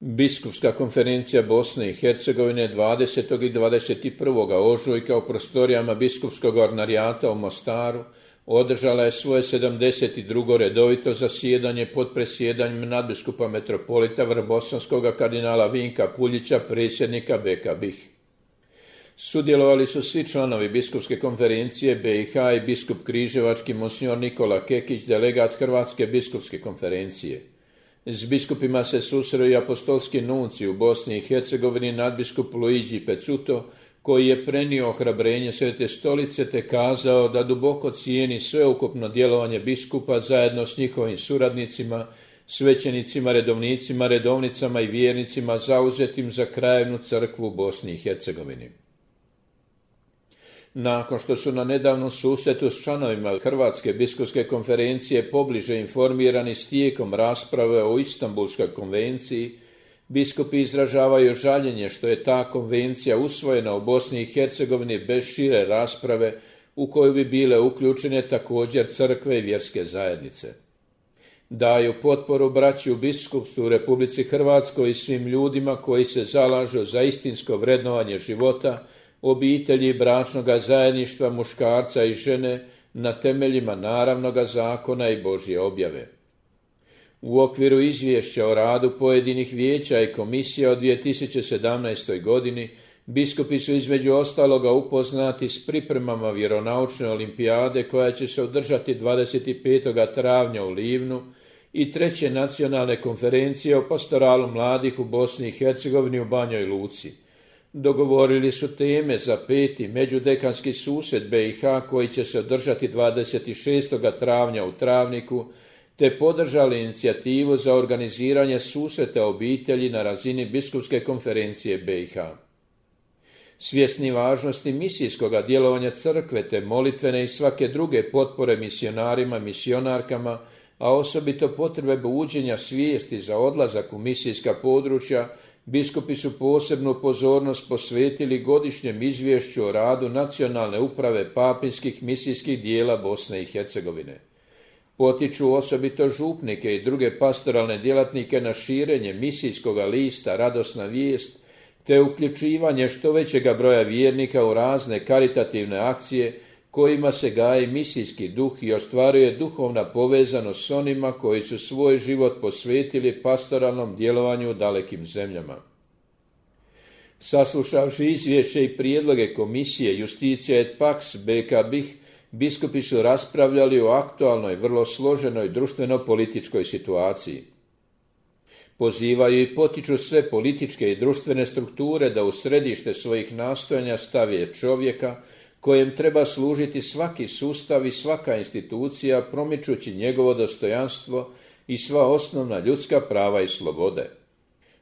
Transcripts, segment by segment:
Biskupska konferencija Bosne i Hercegovine 20. i 21. ožujka u prostorijama biskupskog ordinarijata u Mostaru održala je svoje 72. redovito zasjedanje pod presjedanjem nadbiskupa metropolita vrbosanskog kardinala Vinka Puljića, predsjednika BK BiH. Sudjelovali su svi članovi biskupske konferencije BiH i biskup križevački monsignor Nikola Kekić, delegat Hrvatske biskupske konferencije. S biskupima se susreo i apostolski nuncij u Bosni i Hercegovini nadbiskup Luigi Pezzuto, koji je prenio ohrabrenje Svete stolice te kazao da duboko cijeni sveukupno djelovanje biskupa zajedno s njihovim suradnicima, svećenicima, redovnicima, redovnicama i vjernicima zauzetim za krajevnu crkvu u Bosni i Hercegovini. Nakon što su na nedavnom susretu s članovima Hrvatske biskupske konferencije pobliže informirani s tijekom rasprave o Istanbulskoj konvenciji, biskupi izražavaju žaljenje što je ta konvencija usvojena u Bosni i Hercegovini bez šire rasprave u koju bi bile uključene također crkve i vjerske zajednice. Daju potporu braći u biskupstvu u Republici Hrvatskoj i svim ljudima koji se zalažu za istinsko vrednovanje života, obitelji i bračnoga zajedništva muškarca i žene na temeljima naravnoga zakona i Božje objave. U okviru izvješća o radu pojedinih vijeća i komisija od 2017. godini biskupi su između ostaloga upoznati s pripremama vjeronaučne olimpijade koja će se održati 25. travnja u Livnu i treće nacionalne konferencije o pastoralu mladih u Bosni i Hercegovini u Banjoj Luci. Dogovorili su teme za 5. međudekanski susret BiH koji će se održati 26. travnja u Travniku, te podržali inicijativu za organiziranje susreta obitelji na razini biskupske konferencije BiH. Svjesni važnosti misijskog djelovanja crkve te molitvene i svake druge potpore misionarima, misionarkama, a osobito potrebe buđenja svijesti za odlazak u misijska područja, biskupi su posebnu pozornost posvetili godišnjem izvješću o radu Nacionalne uprave papinskih misijskih dijela Bosne i Hercegovine. Potiču osobito župnike i druge pastoralne djelatnike na širenje misijskoga lista Radosna vijest, te uključivanje što većega broja vjernika u razne karitativne akcije kojima se gaji misijski duh i ostvaruje duhovna povezanost s onima koji su svoj život posvetili pastoralnom djelovanju u dalekim zemljama. Saslušavši izvješće i prijedloge komisije Justitia et Pax BK BiH, biskupi su raspravljali o aktualnoj, vrlo složenoj društveno-političkoj situaciji. Pozivaju i potiču sve političke i društvene strukture da u središte svojih nastojanja stave čovjeka, kojem treba služiti svaki sustav i svaka institucija, promičući njegovo dostojanstvo i sva osnovna ljudska prava i slobode.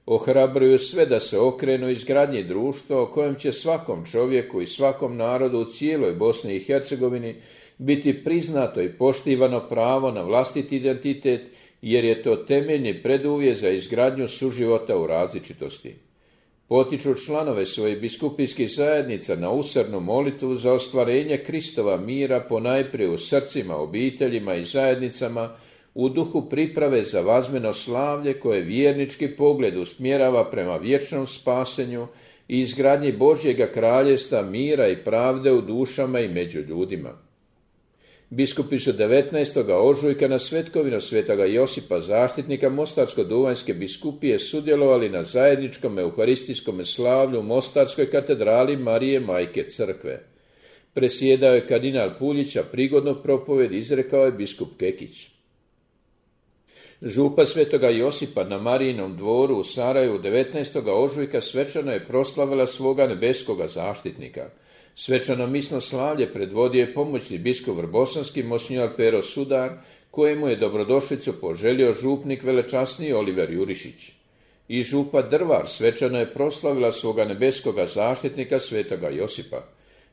Ohrabruju sve da se okrenu izgradnji društva o kojem će svakom čovjeku i svakom narodu u cijeloj Bosni i Hercegovini biti priznato i poštivano pravo na vlastiti identitet, jer je to temeljni preduvjet za izgradnju suživota u različitosti. Potiču članove svojih biskupijskih zajednica na usrdnu molitvu za ostvarenje Kristova mira ponajprije u srcima, obiteljima i zajednicama, u duhu priprave za vazmeno slavlje koje vjernički pogled usmjerava prema vječnom spasenju i izgradnji Božjega kraljevstva mira i pravde u dušama i među ljudima. Biskupi su 19. ožujka na svetkovinu svetoga Josipa Zaštitnika Mostarsko-duvanjske biskupije sudjelovali na zajedničkom euharistijskom slavlju u Mostarskoj katedrali Marije Majke Crkve. Presjedao je kardinal Puljić, a prigodnu propovjed izrekao je biskup Kekić. Župa svetoga Josipa na Marijinom dvoru u Sarajevu 19. ožujka svečano je proslavila svoga nebeskoga zaštitnika. Svečano misno slavlje predvodio je pomoćni biskup vrbosanski monsignor Pero Sudar, kojemu je dobrodošlicu poželio župnik velečasni Oliver Jurišić. I župa Drvar svečano je proslavila svoga nebeskoga zaštitnika svetoga Josipa.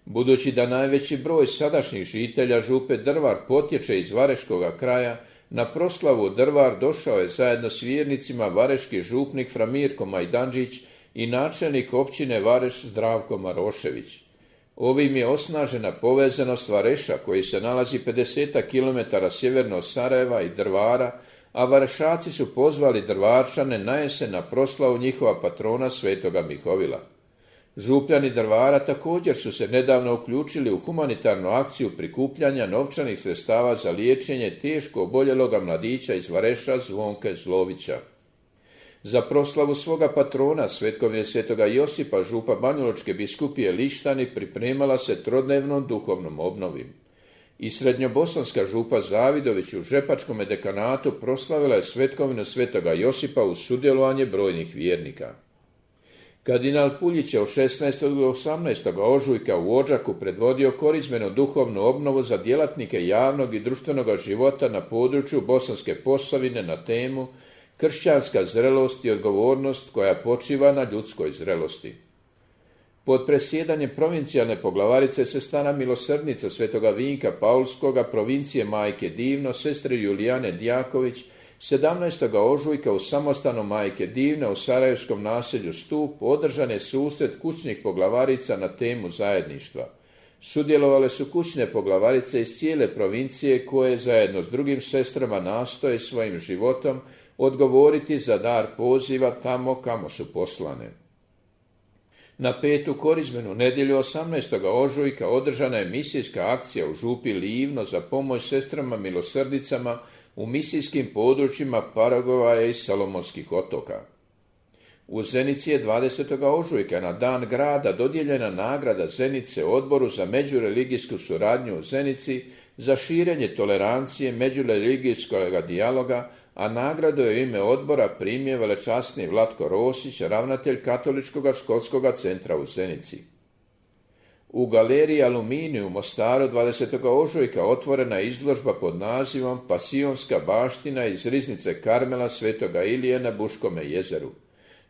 Budući da najveći broj sadašnjih žitelja župe Drvar potječe iz Vareškoga kraja, na proslavu Drvar došao je zajedno s vjernicima vareški župnik fra Mirko Majdanđić i načelnik općine Vareš Zdravko Marošević. Ovim je osnažena povezanost Vareša, koji se nalazi 50 km sjeverno od Sarajeva i Drvara, a Varšaci su pozvali Drvarčane na jesen na proslavu njihova patrona svetoga Mihovila. Župljani Drvara također su se nedavno uključili u humanitarnu akciju prikupljanja novčanih sredstava za liječenje teško oboljeloga mladića iz Vareša Zvonke Zlovića. Za proslavu svoga patrona, svetkovine svetoga Josipa, župa Banjalučke biskupije Lištani pripremala se trodnevnom duhovnom obnovi. I srednjobosanska župa Zavidović u Žepačkom dekanatu proslavila je svetkovinu svetoga Josipa uz sudjelovanje brojnih vjernika. Kardinal Puljić je od 16. do 18. ožujka u Odžaku predvodio korizmenu duhovnu obnovu za djelatnike javnog i društvenog života na području Bosanske Posavine na temu Kršćanska zrelost i odgovornost koja počiva na ljudskoj zrelosti. Pod presjedanjem provincijalne poglavarice Sestara milosrdnica svetoga Vinka Paulskoga provincije Majke Divno, sestre Julijane Djaković, 17. ožujka u samostanu Majke Divne u sarajevskom naselju Stup održan je susret kućnih poglavarica na temu zajedništva. Sudjelovale su kućne poglavarice iz cijele provincije koje zajedno s drugim sestrama nastoje svojim životom odgovoriti za dar poziva tamo kamo su poslane. Na petu korizmenu nedjelju 18. ožujka održana je misijska akcija u župi Livno za pomoć sestrama milosrdnicama u misijskim područjima Paragovaja i Salomonskih otoka. U Zenici je 20. ožujka na dan grada dodijeljena nagrada Zenice Odboru za međureligijsku suradnju u Zenici za širenje tolerancije međureligijskog dijaloga, a nagradu je u ime odbora primio velečasni Vlatko Rosić, ravnatelj Katoličkog školskog centra u Zenici. U galeriji Aluminij u Mostaru 20. ožujka otvorena je izložba pod nazivom Pasionska baština iz riznice Karmela svetoga Ilije na Buškome jezeru.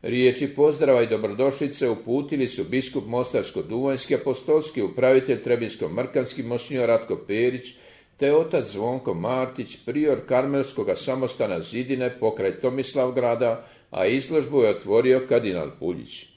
Riječi pozdrava i dobrodošlice uputili su biskup Mostarsko-Duvanjski, apostolski upravitelj Trebinsko-Mrkanski monsinjor Ratko Perić, te otac Zvonko Martić, prior Karmelskog samostana Zidine pokraj Tomislavgrada, a izložbu je otvorio kardinal Puljić.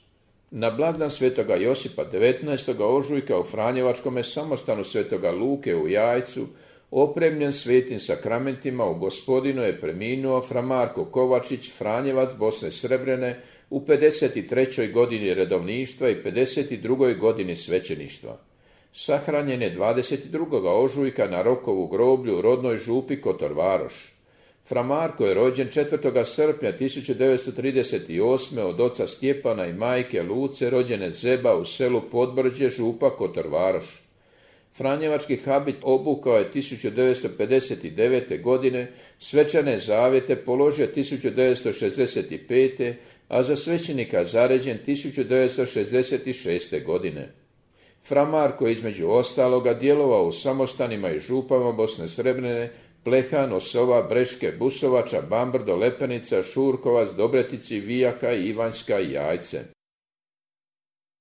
Na blagdan svetoga Josipa 19. ožujka u Franjevačkome samostanu svetoga Luke u Jajcu, opremljen svetim sakramentima, u Gospodinu je preminuo fra Marko Kovačić, Franjevac Bosne Srebrene, u 53. godini redovništva i 52. godini svećeništva. Sahranjen je 22. ožujka na Rokovu groblju u rodnoj župi Kotor Varoš. Fra Marko je rođen 4. srpnja 1938. od oca Stjepana i majke Luce, rođene Zeba u selu Podbrđe, župa Kotor Varoš. Franjevački habit obukao je 1959. godine, svečane zavjete položio 1965. a za svećenika zaređen 1966. godine. Fra Marko je između ostaloga djelovao u samostanima i župama Bosne Srebrene, Plehan, Osova, Breške, Busovača, Bambrdo, Lepenica, Šurkovac, Dobretici, Vijaka, Ivanjska i Jajce.